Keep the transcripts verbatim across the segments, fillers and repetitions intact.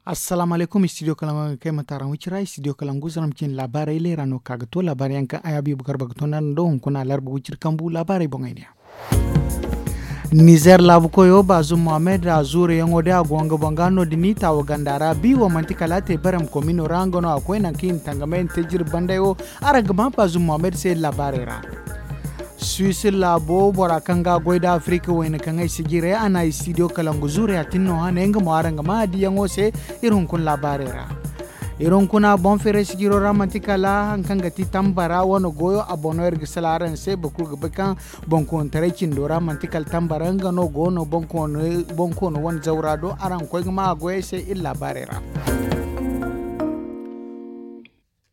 Assalaamu alaykum, studio kalangu ga kay mataaraŋ wicira, studio kalangu zaram cine laabaarey leera no ka ga to laabaarey yaŋ kaŋ ay habiibu garba ga to nda hunkuna larba wiciri kambu laabaarey boŋey ne. Nizer laabu koyo baazum mohammed a zuuruyaŋo day a go nga boŋ ga no- din i taawa ganda ra bi wo manti kala a te barem komino ra nga no a koy nangu kaŋ i na tangamay nda te jirbi banday wo. Araŋ ga maa baazum mohammed se laabaarey ra. Suwisi laabo bora kaŋ ga a goy nda afirika wayna kaŋ ay si jiray a na studio kalangu zuurey a tin no hane nga mo araŋ ga maa a diyaŋo se. Iri hunkuna laabaarey ra. Iri hunkuna boŋ feeray sijiro ra manti kala hari kaŋ ga ti tambara wane goyo a boŋ no iri ga sala araŋ se boro kulu ga bay kaŋ boŋkoonitaray cindo ra manti kala tambara nga no go no boŋkoono wane zawra do araŋ ga koy ga maa a goyey se iri laabaarey ra.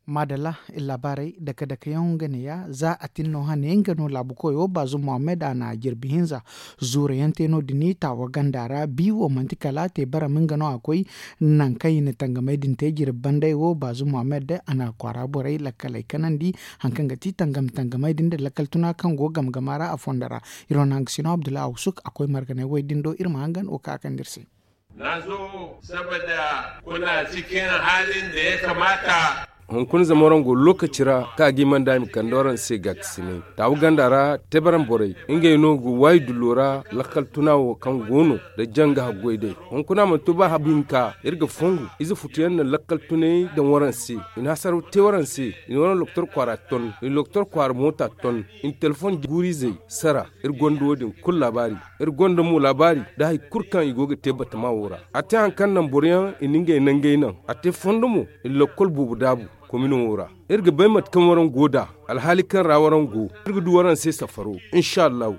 Maadalla, iri laabaarey dake dake yaŋ nga ne ya za a tin no hane nga no laabu koyo baazum mohammed a na jirbi hinza zuura yaŋ te no- din taawa ganda ra bi wo manti kala a te barem nga no a koy nangu kaŋ i na tangamey din te jirbi banday wo baazum mohammed a na kwaara borey lakkaley kanandi. Hari kaŋ ga ti tangam tangamey din nda lakkal tuna kaŋ go game game ra a fondo ra. Iri wane hangasino abdullahi awsuk a koy marganey wo din do iri ma hangan wo ka a kande iri se. Na zo saboda kuna cikin halin da ya kamata. Hunkuna zama waraŋ go lokaci ra kaŋ a ga i manda i ma kande waraŋ se gaakasinay taawu ganda ra tebaran borey ngey no ga waayi dullo ra lakkal tuna wo kaŋ go no nda janga haggoy day. Hunkuna mana to ba habu hinka iri ga fongu ize futuyaŋ na lakkal tunay daŋ waraŋ se. I na hasaraw te waraŋ se. I na waraŋ lokotor kwaara ton i na lokotor kwaara moota ton i na telefoŋ guuru-izey sara. Iri gonda wo- din kulu laabaari. Iri gonda mo laabaari nda hari kulu kaŋ i go ga te batama wo ra. A te hari kaŋ naŋ boroyaŋ i na ngey nangey naŋ a te fondo mo i na lakkol boobo daabu komino wo ra. Iri ga bay mate kaŋ waraŋ go nd'a alhaali kaŋ ra waraŋ go. Iri ga du waraŋ se safaro. Insa allahu.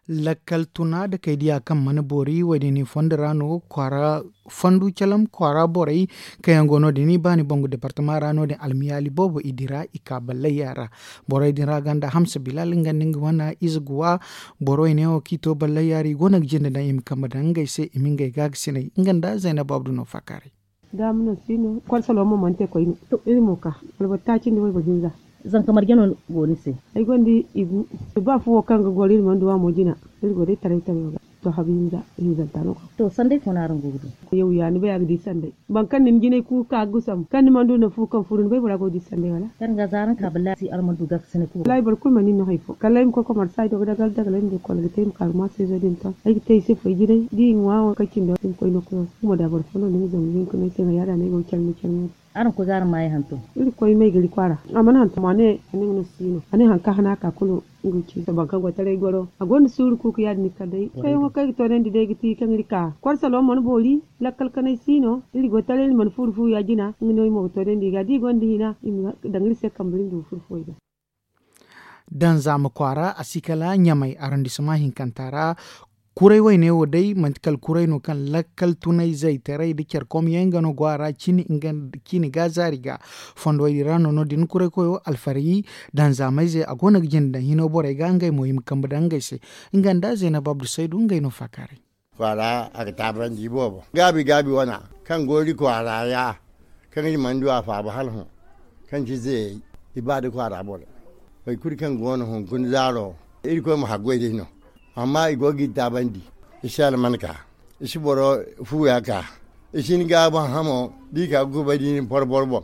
Lakkal tuna nda kay diya kaŋ mana boori wo- din i fondo ra no kwaara fondu calam kwaara borey kaŋ yaŋ go no- din i baani bangu departama ra no- din almiyaali boobo i dira i ka ballayya ra. Borey din ra ganda hamsa bilal nga nda nga wane ize ga wa. Boro i ne wo kaŋ i to ballayya ra i go no ga jinde daŋ i ma kambe daŋ ngey se i ma ngey gaagasinay nga nda zaynab abdu no faakaaray. Daama no si no korsaloo mo mana te koyne. To iri mo ka alboro taaci nda wayboro hinza. Zanka marje no go ni se? Ay gonda igu. Ba fu wo kaŋ ga goro iri mana du a mo jina. Iri go day taray taray ga to habu hinza hinzanta no ka. To sanday fo no araŋ go ga du? Yaw ya ni bay a ga di sanday. Boro kaŋ na ni jinay ku ga ka ga gusam kaŋ ni mana du naŋ fu kaŋ furu ni bay bora go ga di sanday wala? Kaŋ ga za araŋ ka ballasi araŋ mana du gaakasinay ku. Wallaahi boro kulu mana ni no hari fo kala ay ma koy komarsa ay do ga dagal dagal ay ma du kol ga te ay ma ka ga ma seezo din ton ay ga te ay se foy jinay da i ŋwa wo kaŋ cindo ay ma koy no koyo. Kumo da boro fo no ni ma zangu hinka no ay se no yaada no ay go ga care no care no. Araŋ koy ga araŋ maayey hantum. Iri koy maygari kwaara a mana hantum a ne a ne nga no si no a ne hari kaŋ hana ka kulu. Nga ga ci sohõ boro kaŋ go taray goro a gonda suuru kuuku ya- din ni kala day kayyaŋo kaŋ ay ga toonandi day ga ti kaŋ iri ka kwarsaloo mana boori. Lakkal kanay si no iri go taray iri mana furu fu ya- jina nga no iri mo ga toonandi i ga da i gonda hina i ma daŋ iri se kambe iri ma du ga furu fuwey ga. Danzaama kwaara a si kala ɲamay arondisema hinkanta ra. Kuray wayne wo day manti kala kuray no kaŋ lakkal tunay zaytaray nda care komyaŋ nga no go a ra cine ga zaari ga. Fondo way din ra no no- din kuray koyo alfari danzaamayze a go no ga jinde daŋ hino borey ga ngey mo i ma kambe daŋ ngey se. Nga nda zaynab abdu saydu ngey no faakaaray. Kwaara a ga taabandi boobo gaabi gaabi wana kaŋ go iri kwaara ya kaŋ iri mana du a faaba hala hõ. Kaŋ ci zeeyey i ba da kwaara borey. Boro kulu kaŋ go no hunkuna zaaro iri koy ma haggoy day no. Amma i go ga iri taabandi. I si alman ka i si boro fuuya ka i si ni gaaban hamo da i ka ga kubay da i na ni porbor boŋ.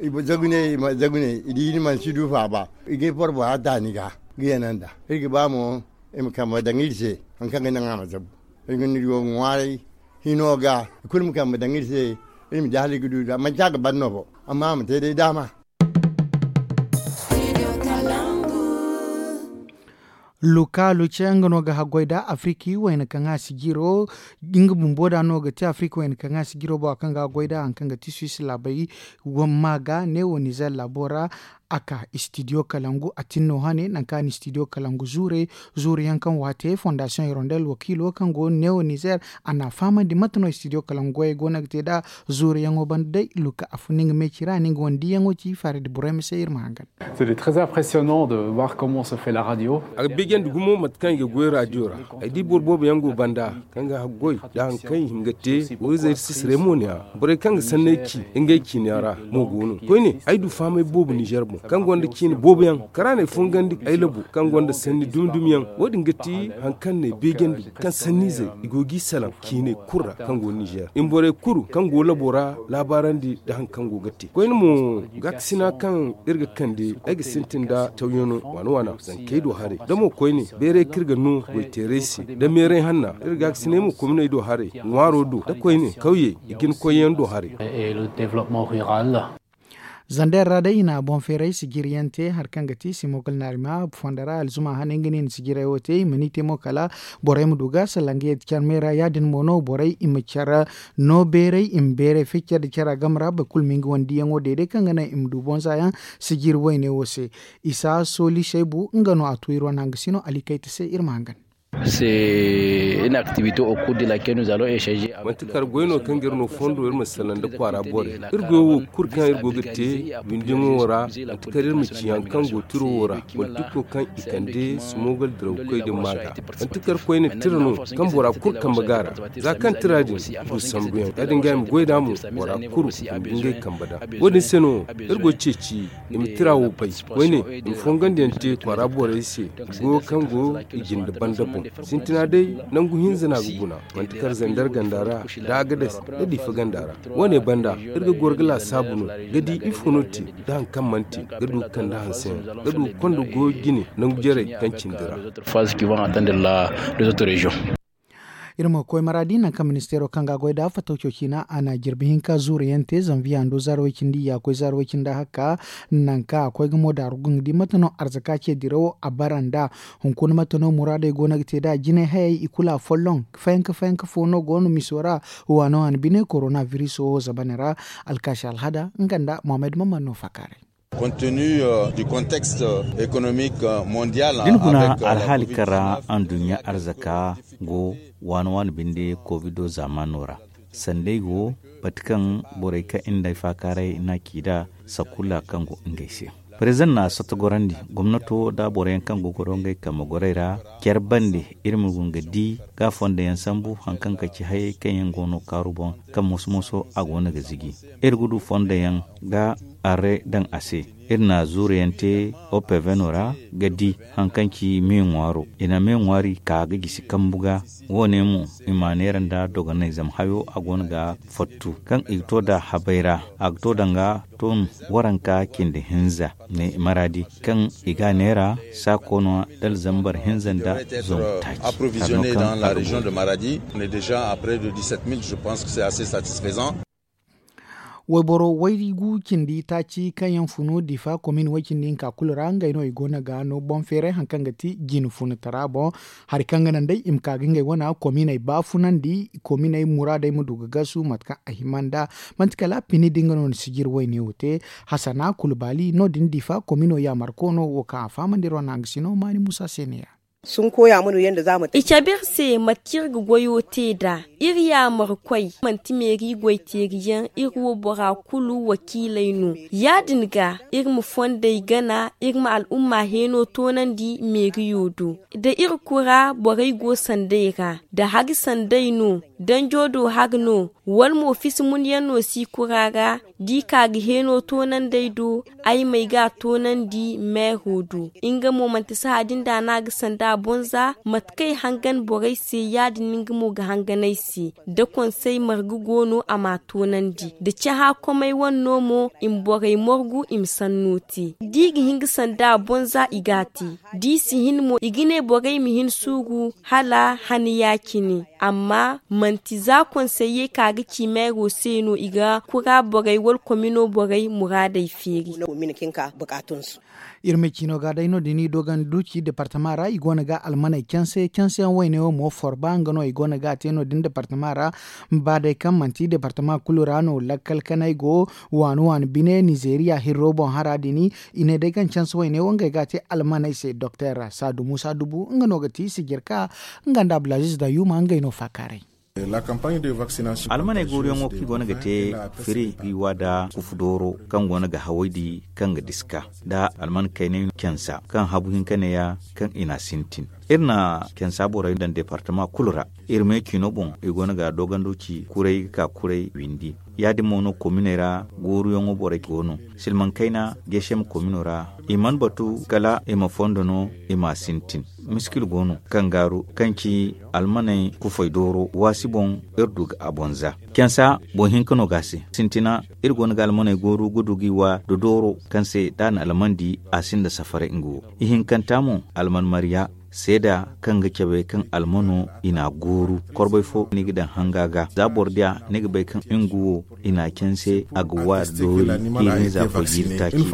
I ma zagu ne i ma zagu ne i di ni mana si du faaba i ga ay porbora ta ni ga ga yana nda iri ga ba mo i ma kambe daŋ iri se. Hari kaŋ ga naŋ a ma zabu iri ga no iri go ga ŋwaaray hino ga i kulu ma kambe daŋ iri se. Iri ma di hala iri ga du da manci a ga ban no bo amma a ma te day daama. Luka luce nga no ga haggoy da afiriki wayna kaŋ a si jiro nga bumbo da no ga te afiriki wayna kaŋ a si jiro bora kaŋ ga haggoy da hari kaŋ ga ti suwisi laabay. Wamma ga ne wo nizer laabo ra a ka studio kalangu a tin no hane nangu kaŋ a na studio kalangu zuure. Zuure yaŋ kaŋ waate fondasiyoŋ hirondel wakiilo kaŋ go ne wo nizer a na a fahamandi mate no studio kalangu goyey go no ga te nd'a. Zuure yaŋo banda day luka a fun nga meeci ra ni nga wane diyaŋo ci faaridi borey ma se iri ma hangan. A ga beejandi gumo mate kaŋ i ga goy raadiyo ra. Ay di boro boobo yaŋ go banda kaŋ ga haggoy nda hari kaŋ i hima ga te. Wo-ize iri si siray mo ne a borey kaŋ ga sanney ci ngey ciine ra mo go no koyne ay du fahamay boobo nizer boŋ. Kaŋ gonda ciine boobo yaŋ kara no ay fongandi ay labo kaŋ gonda sanni dumi dumi yaŋ. Wo- din ga ti hari kaŋ no ay beejandi kaŋ sanniizey i go g'i salaŋ ciiney kulu ra kaŋ go nizeer i ma borey kulu kaŋ go labo ra laabaarandi nda hari kaŋ go ga te koyne mo. Gaakasina kaŋ iri ga kande ay ga sintin nda cawyaŋo waana waana zankey do haray da mo koyne bayray kaŋ iri ga no goyteeray se nda meeray hanna iri gaakasinay mo kominey do haray ŋwaaro do nda koyne kawyey i jina koyyaŋ do haray. Zander ra day i na boŋ feeray sijiryaŋ te hari kaŋ ga ti simokal naarima fondo ra alzuma hane nga no i na sijiray wo te i ma ni te mo kala borey ma du ga sallangayey da care me ra ya- din mo no borey i ma care no beeray i ma beeray ficce da care a game ra boro kulu ma nga wane diyaŋo day day kaŋ ga naŋ i ma du boŋ za yaŋ sijiri wayne wo se. Isa sooli saybu nga no a tu iri wane hangasino alikayta se iri ma hangan. Manti kala goy no kaŋ ga iri no fondo iri ma salaŋ nda kwaara borey. Iri goyo wo kulu kaŋ iri go ga te windiŋo wo ra manti kala iri ma ci hari kaŋ go tiro wo ra. Politiko kaŋ i kande simogal dirawkoy din ma ga manti kala koyne tira no kaŋ bora kulu kambe ga a ra. Za kaŋ tira din du sambuyaŋ ya- din ga i ma goy nd'a mo bora kulu i ma du ngey kambe nd'a. Wo- din se no iri go ga ceeci i ma tira wo bay koyne i ma fongandiyaŋ te kwaara borey se. Goyo kaŋ go i jinde banda boŋ sintina day nangu hinza no a ga guna manti kala zander ganda ra nda agades nda diifa ganda ra. Wo- ne banda iri ga goro ga laasaabu no ga di ifo no te nda hari kaŋ mana te ga du ga kande hanseyaŋ ga du ga konda goyo jine nangu jarey kaŋ cindi ra. Iri ma koy maraadi nangu kaŋ ministeero kaŋ ga a goy nd'a fatawco ciina a na jirbi hinka zuuru yaŋ te zanviye hando zaara way cindi ya koy zaara way cindi hakka. Nangu kaŋ a koy ga mo daaru ga nga di mate no arzaka ce dirawo a bara nd'a. Hunkuna mate no muraadey go no ga te nd'a jinay hayey i kulu a folloŋ fayanka fayanka fo no go no miso ra. Waano a na bine korona viriso wo zabane ra. Alkaasi alhada nga nda mohammed mamman no faakaaray. Da ni guna alhaali kaŋ ra anduɲɲa arzaka go waani waani binde kovido zaamaano ra sanda ay go mate kaŋ borey kaŋ iri nda ay faakaaray no a ci nd'a sakulla kaŋ go ngey se. Parezidaŋ na a satta gorandi gomnato nda boroyaŋ kaŋ go goro ngey kambe gorey ra care bande iri ma guna ga di ga fondayaŋ sambu hari kaŋ ga ci hayey kaŋ yaŋ go no kaaru boŋ kaŋ moso moso a go no ga ziji. Iri ga du fondayaŋ ga arre daŋ a se. Iri na zuuruyaŋ te opeveno ra ga di hari kaŋ ci me ŋwaaro i na me ŋwaari ka ga gisi kambu ga. Wo- ne mo i ma a neera nda dogonay zama hayo a go no ga fattu kaŋ i ga to nd'a habay ra a ga to daŋ ga ton waranka cindi hinza ne maraadi kaŋ i ga a neera saakoono nda alzambar hinza nda zangu taaci. Wayboro waygu cindi taaci kaŋ yaŋ funu diifa komin way cindi hinka kulu ra ngey no i go no ga no boŋ feeray hari kaŋ ga ti jine funatara boŋ. Hari kaŋ ga naŋ day i ma ka ga ngey wana kominey baafunandi kominey muraadey ma du ga gasu mate kaŋ a hima nd'a. Manti kala pini din ga no ni sijiri wayne wo te. Hasana kulu baali no- din diifa komino yaamarko no wo kaŋ a fahamandi iri wane hangasino maani muusa se ne ya. I cabe iri se mate kaŋ iri ga goyo te nd'a. Iri yaamarkoy manti meeri goyteeriyaŋ iri wo bora kulu wakiiley no. Ya- din ga iri ma fondey gana iri ma al'umma heeno toonandi meeriyo do. Da iri kura borey go sandey ra da hari sandey no danjo do hari no wala mo fisi munyaŋ no si kura ra. Da i ka ga heeno toonandey do ay ma ay ga a toonandi meero do. Nga mo manti sahã din da no a ga sanda a boŋ za mate kaŋ ay hangan borey se ya- din nga mo ga hangan ay se. Da konsey marga go no a m'a toonandi da cahã komey wane no mo i ma borey morgu i ma sanno te. Da i ga hin ga sanda a boŋ za i g'a te. Da i si hin mo i ga ne borey ma hin suuru hala hana ya- cine. Amma manti za konsey ye ka ga ci meero se no i ga kura borey wala komino borey muraadey feeri. Iri ma ciino ga day no- din i doogandi duuci departama ra i go no ga almaney canse canse yaŋ wayne wo mo forba nga no i go no ga a te no- din departama ra. Ba day kaŋ manti departama kulu ra no lakkal kanay go waani waani bine nizeeriya hirro boŋ hara din. I ne day kaŋ canse wayne wo ngey ga a te almaney se doktor saadu muusa dubu nga no ga ti sijirka nga nda abdulaziz da yuma ngey no faakaaray. Almaney gooruyaŋo kaŋ i goono ga te firi, i wa da kufu dooro kaŋ goono ga hawaydi, kaŋ ga diska nda alman kaynay cansa kaŋ habu hinka neeya, kaŋ i n'a sintin. Iri na cansa borey daŋ departama kulu ra. Iri me ciino boŋ, i goono ga doogando ci kuray ga ka kuray windi. Ya-din mo no kominey ra gooruyaŋo borey go no. Silmaŋ kayna, gesem komino ra, i mana batu kala i ma fondo no, i m'a sintin. Miskil go no kaŋ gaaru, kaŋ ci almaney kufay dooro waasi boŋ, iri du ga a boŋ za. Cansa boŋ hinka no ga a se. Sintina, iri goono ga almaney gooru ga du ga i wa da dooro, kaŋ se da a na almandi, a sinda safaray nga wo. Ihinkanta mo, alman marya seeda kaŋ ga cabe kaŋ almano i n'a gooru. Korbay fo ni ga daŋ hanga ga, za boro diya ni ga bay kaŋ nga wo i n'a canse, a ga wa doori. Iri hinza koy jiiri taaci.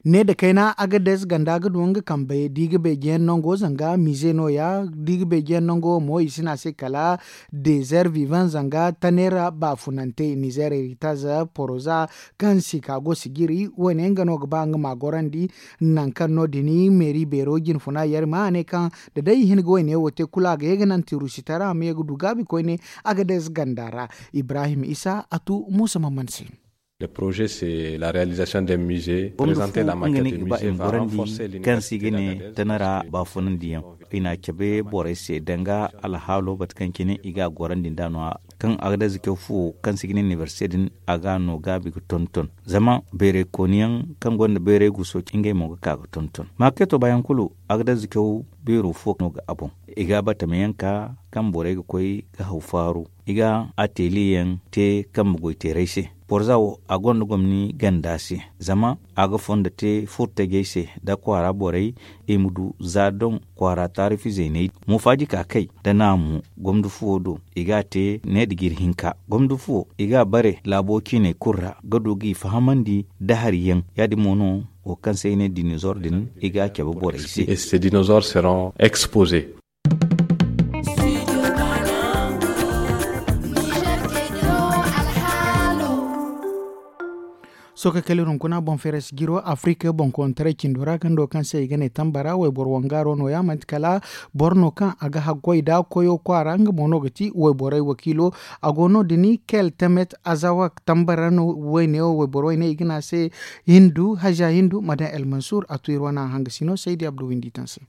Ne da kayna, agadez ganda ga du nga kambe da i ga beejiyaŋ nango zanga mize no- ya. Da i ga beejiyaŋ nango mo i si ne a se kala dezer vivan zanga tanera baafunante nizer eritaz poroza kaŋ si ka go sijiri. Wo- ne nga no ga ba nga ma gorandi nangu kaŋ no- din meeri beero jinfuna yar ma a ne kaŋ da day i hin ga wo- ne wo te kulu a ga ye ga naŋ tirusi tara a ma ye ga du gaabi koyne. Agadez ganda ra, ibrahim isa a tu muusa mamman se. Le projet c'est la réalisation d'un musée. Gomdo présenter fo la nga maquette ne du ga ba musée i ma va gorandi renforcer kaŋ se i ga ne tanara baafunandiyaŋ. I n'a cabe borey se danga alhaalo bate kaŋ cine i ga a gorandi nd'a no- ya. Kaŋ agadez caw fuwo kaŋ se i ga ne inibersite din, a ga a no gaabi ga tonton. Zama bayray kooniyaŋ kaŋ gonda bayray guso, ngey mo ga ka ga tonton. Maakeeto baayaŋ kulu, agadez caw beero fo no ga a boŋ. I ga batamayaŋ ka kaŋ borey ga koy ga haw faaru. I ga ateliyeyaŋ te kambe goyteerey se. Borza wo, a gonda gomni ganda se, zama a ga fondo te furtajey se nda kwaara borey, i ma du za doŋ kwaara taarifizey ne. Mofaaji ka kay nda naamu gomdo fuwo do, i ga a te ne da jiri hinka. Gomdo fuwo, i ga a bare laabo ciiney kulu ra ga du g'i fahamandi da hari yaŋ. Ya-din mo no wo kaŋ se i ne dinozor din, i ga a cabe borey se. Ces dinosaures seront exposés. Sohõ ka kala iri hunkuna boŋ feeray si jiro afirika boŋkoontaray cindo ra gando kaŋ se i ga ne tambara wayboro wangaaro no- ya manti kala boro no kaŋ a ga haggoy da koyo kwaara nga mo no ga ti wayborey wakiilo. A go no- din kel temet azawa tambara no wayne wo wayboro wayne i ga ne a se hindu haza hindu madan el mansur a tu iri wane a hanga sino saydi abdu windi taŋ se.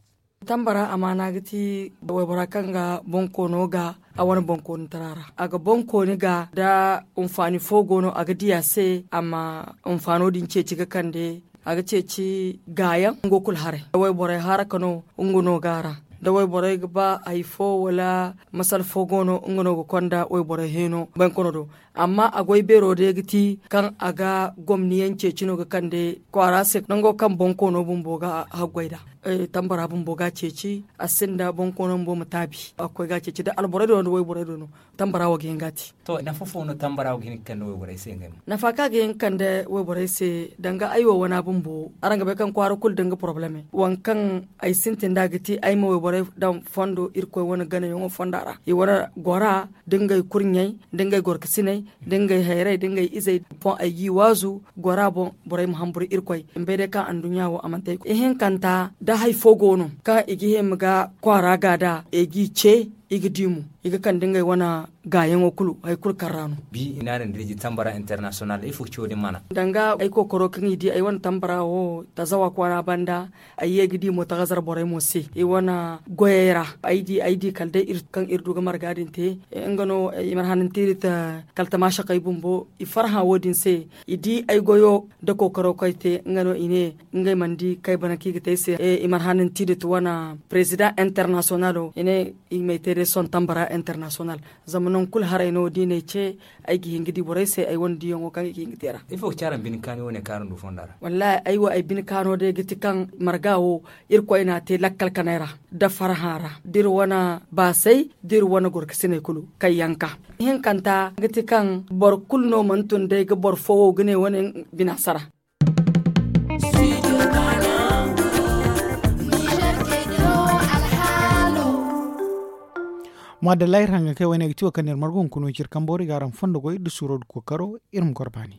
Tambara amaana ga ti waybora kaŋ ga bonkoono ga a wane bonkoonitara ra a ga bonkooni ga da hinfaani fo go no a ga di a se a ma hinfaano din ceeci ga kande a ga ceeci gaayaŋ ngo kulu haray da wayborey haraka no nga no ga a ra da wayborey ga ba hari fo wala masala fo go no nga no ga konda wayborey heeno bonkoono do. Amma a goy beero day ga ti kaŋ a ga gomni yaŋ ceeci no ga kande kwaara se nango kaŋ bonkoono bumbo ga haggoy nd'a tambara bumbo ga a ceeci a sinda bonkoono bumbo ma taabi a ga koy ga a ceeci da alborey do no da wayborey do no. Tambara wo ga hin ga a te. To nafa fo no tambara wo ga hin ga kande wayborey se ngey mo? Nafa kaŋ a ga hin ga kande wayborey se danga ay wo wana bumbo araŋ ga bay kaŋ kwaara kulu da nga porobaleme waŋ kaŋ ay sintin nd'a ga ti ay ma wayborey daŋ fondo irkoy wane ganayaŋo fonda ra i wane gora da ngey kurɲey da ngey gorkasiney da ngey hayrey da ngey izey boŋ ay g'i waazu gora boŋ borey ma hamburu irkoy i ma bay day kaŋ anduɲɲa wo a manti ay koy ihinkanta da hari fo go no kaŋ i ga hima ga kwaara ga nd'a i g'i ce i ga di mo i ga kande ngey wane gaayaŋo kulu hari kulu kaŋ ra no. Bi i naana nda iri di tambara internasiyonal ifo ga ci wo- din maana? Danga ay kookaro kaŋ i di ay wane tambara wo tazawa kwaara banda ay ye ga di mo tagazar borey mo se i wane goyey ra ay di ay di kala day iri kaŋ iri du ga marga din te nga no i mana hanantiri ta kala tamaasakey bumbo i farhã wo- din se i di ay goyo nda kookaro kaŋ ay te nga no i ne ngey mana di kaŋ ay bana kaŋ i ga te ay se i mana hanantiri ta wane president internasiyonalo i ne i ma ay te day sohõ tambara internasiyonal zama nangu kulu haray no da i n'ay ce ay ga hin ga di borey se ay wane diyaŋo kaŋ i ga hin ga te ra. Ifo ga ci araŋ bine kaani wo- ne kaŋ araŋ du fonda ra? Wallaahi ay wo ay bine kaano day ga ti kaŋ marga wo irkoy n'a te lakkal kanay ra da farhã ra da iri wane baasay da iri wane gorkasiney kulu kaŋ yanka ihinkanta ga ti kaŋ boro kulu no mana tun day ga boro fo wo ga ne wane bina sara. Maadalla iri hangankey wayne ga ti wo kaŋ no iri margu hunkuna wo ci iri kambo ra i ga araŋ fondo goy da suuro da kookaro iri ma goro baani.